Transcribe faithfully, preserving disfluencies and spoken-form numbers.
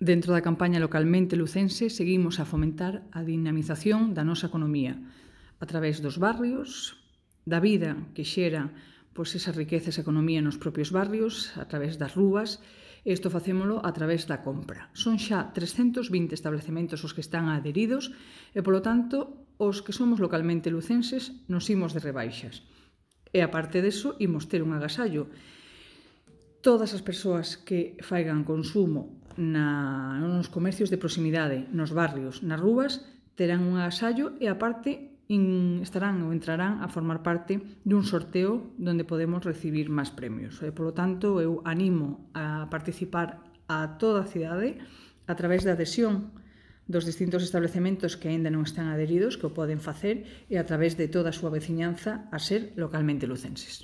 Dentro da campaña localmente lucense seguimos a fomentar a dinamización da nosa economía a través dos barrios, da vida que xera pois, esa riqueza, esa economía nos propios barrios, a través das rúas, e isto facémolo a través da compra. Son xa trescentos vinte establecementos os que están adheridos e, polo tanto, os que somos localmente lucenses nos imos de rebaixas. E, aparte deso, imos ter un agasallo. Todas as persoas que faigan consumo na, nos comercios de proximidade, nos barrios, nas rúas, terán un agasallo e, aparte, in, estarán ou entrarán a formar parte dun sorteo onde podemos recibir máis premios. E, polo tanto, eu animo a participar a toda a cidade a través da adhesión dos distintos establecementos que aínda non están adheridos, que o poden facer, e a través de toda a súa veciñanza a ser localmente lucenses.